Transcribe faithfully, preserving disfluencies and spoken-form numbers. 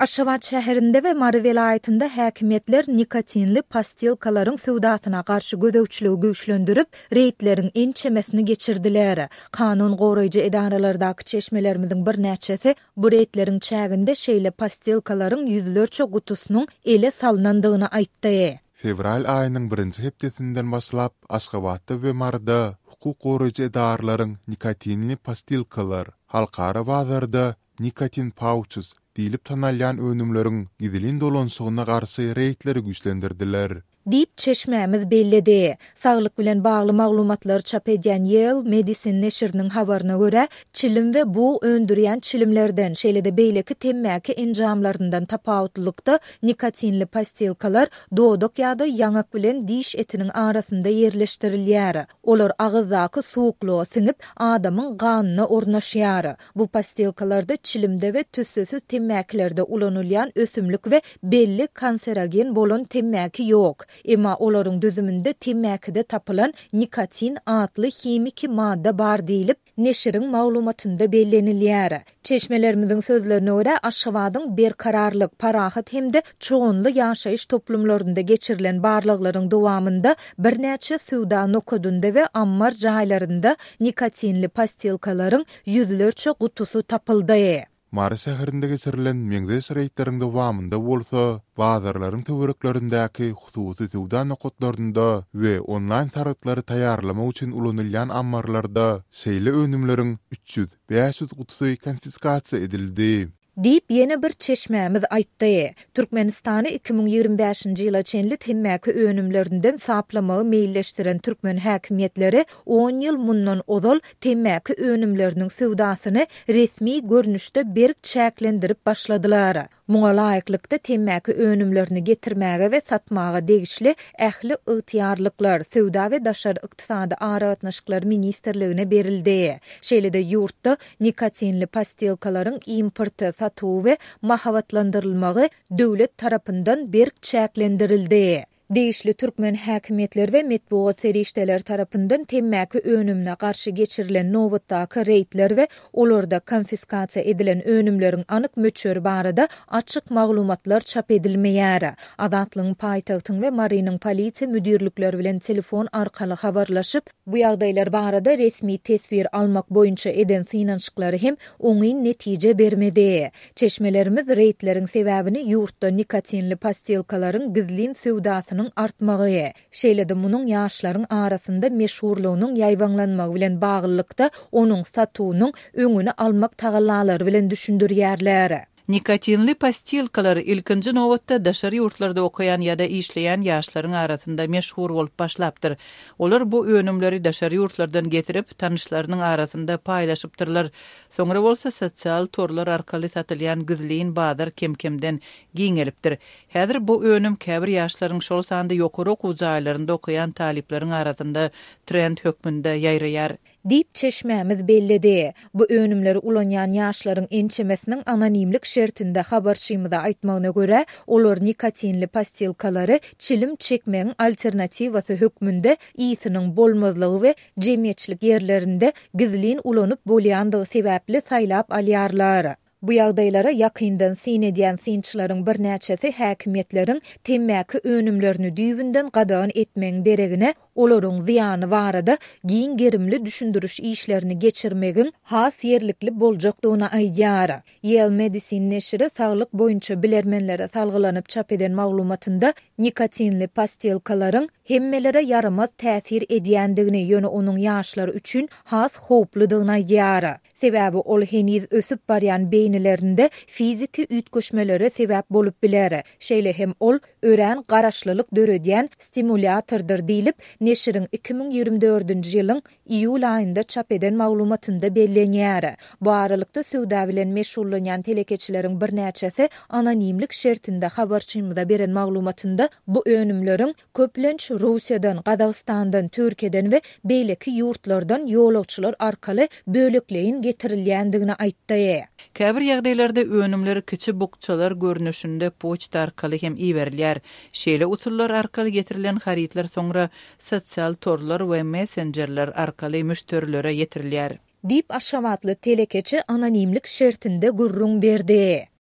Aşgabat şäherinde we Mary welaýatynda häkimiýetler nikotinli pastilkalaryň söwdasyna garşy gözegçiligi güýçlendirip, reýdleriň ençemesini geçirdiler. Kanun goraýjy edaralardaky çeşmelerimiziň birnäçesi bu reýdleriň çäginde şeýle pastilkalaryň ýüzlerçe gutusynyň ele salnandygyny aýtdy. Fewral aýynyň birinji hepdesinden başlap, Aşgabatda we Maryda hukuk goraýjy edaralaryň nikotinli pastilkalar, halkara bazarda nicotine pouches diýlip tanalýan önümleriň gizlin dolanyşygyna garşy reýdleri güýçlendirdiler. Diýip, çeşmämiz belledi. Saglyk bilen bagly maglumatlary çap edýän Yale Medicine neşiriniň habaryna görä, çilim we bug öndürýän çilimlerden, şeýle-de beýleki temmäki enjamlaryndan tapawutlylykda nikotinli pastilkalar dodak ýa-da ýaňak bilen diş etiniň arasynda ýerleşdirilýär. Olar agyzdaky suwuklyga siňip, adamyň ganyna ornaşýar. Bu pastilkalarda çilimde we tüssesiz temmäkilerde ulanylýan ösümlik we belli kanserogen bolan temmäki ýok. Emma olaryň düzüminde temmäkide tapylan nikotin atly himiki madda bar diýlip, neşiriň maglumatynda bellenilýär. Çeşmelerimiziň sözlerine görä, Aşgabadyň Berkararlyk, Parahat hem-de Çoganly ýaşaýyş toplumlarynda geçirilen barlaglaryň dowamynda birnäçe söwda nokadynda we ammar jaýlarynda nikotinli pastilkalaryň ýüzlerçe gutusy tapyldy. Mary şäherinde geçirilen meňzeş reýdleriň dowamynda bolsa, bazarlaryň töwereklerindäki hususy söwda nokatlarynda we onlaýn sargytlary taýýarlamak üçin ulanylýan ammarlarda şeýle önümleriň üç ýüz, bäş ýüz gutusy konfiskasiýa edildi. Diýip, ýene bir çeşmämiz aýtdy. Türkmenistany iki müň ýigrimi bäşinji ýyla çenli temmäki önümlerinden saplamagy meýilleşdiren türkmen häkimiýetleri on ýyl mundan ozal temmäki önümleriniň söwdasyny resmi görnüşde berk çäklendirip başladylar. Muňa laýyklykda temmäki önümlerini getirmäge we satmaga degişli ähli ygtyýarlyklar Söwda we daşary ykdysady aragatnaşyklar ministrligine berildi. Şeýle-de ýurtda nikotinli pastilkalaryň importy, satuwy we mahabatlandyrylmagy döwlet tarapyndan berk çäklendirildi. Degişli türkmen häkimiýetleri we metbugat serişdeleri tarapyndan temmäki önümine garşy geçirilen nobatdaky reýdler we olarda konfiskasiýa edilen önümleriň anyk möçberi barada açyk maglumatlar çap edilmeýär. Azatlygyň paýtagtyň we Marynyň polisiýa müdirlikleri bilen telefon arkaly habarlaşyp, bu ýagdaýlar barada resmi teswir almak boýunça eden synanyşyklary hem oňyn netije bermedi. Çeşmelerimiz reýdleriň sebäbini ýurtda nikotinli pastilkalaryň gizlin söwdasynyň artmagy, şeýle-de munuň ýaşlaryň arasynda meşhurlygynyň ýaýbaňlanmagy bilen baglylykda onuň satuwynyň öňüni almak tagallalary bilen düşündirýärler. Nikotinli pastilkalar ilkinji nobatda daşary ýurtlarda okaýan ýa-da işleýän ýaşlaryň arasynda meşhur bolup başlapdyr. Olar bu önümleri daşary ýurtlardan getirip, tanyşlarynyň arasynda paýlaşypdyrlar. Soňra bolsa sosial torlar arkaly satylýan gizlin bazar kem-kemden giňelipdir. Häzir bu önüm käbir ýaşlaryň, şol sanda ýokary okuw jaýlarynda okaýan talyplaryň arasynda trend hökmünde ýaýraýar. Diýip, çeşmämiz belledi. Bu önümleri ulanýan ýaşlaryň ençemesiniň anonimlik şertinde habarçymyza aýtmagyna görä, olar nikotinli pastilkalary çilim çekmegiň alternatiwasy hökmünde ýysynyň bolmazlygy we jemgyýetçilik ýerlerinde gizlin ulanyp bolýandygy sebäpli saýlap alýarlar. Bu ýagdaýlara ýakyndan syn edýän synçylaryň birnäçesi häkimiýetleriň temmäki önümlerini düýbünden gadagan etmegiň deregine olaryň zyýany barada giň gerimli düşündiriş işlerini geçirmegiň has ýerlikli boljakdygyny aýdýar. Yale Medicine neşiri saglyk boýunça bilermenlere salgylanyp çap eden maglumatynda nikotinli pastilkalaryň hemmelere ýaramaz täsir edýändigini, ýöne onuň ýaşlar üçin has howpludygyny aýdýar. Sebäbi ol heniz ösüp barýan beýnilerinde fiziki üýtgeşmelere sebäp bolup biler. Şeýle hem ol örän garaşlylyk döredýän stimulýatordyr diýlip, neşiriň iki müň ýigrimi dördünji ýylyň iýul aýynda çap eden maglumatynda bellenýär. Bu aralykda söwda bilen meşgullanýan telekeçileriň birnäçesi anonimlik şertinde habarçymyza beren maglumatynda bu önümleriň köplenç Russiýadan, Gazagystandan, Türkiýeden we beýleki ýurtlardan ýolagçylar arkaly bölekleýin getirilýändigini aýtdy. Käbir ýagdaýlarda önümler kiçi bukjalar görnüşinde poçta arkaly hem iberilýär. Şeýle usullar arkaly getirilen harytlar soňra sosial torlar we messenjerler arkaly müşderilere ýetirilýär. Diýip, Aşgabatly telekeçi anonimlik şertinde gürrüň berdi.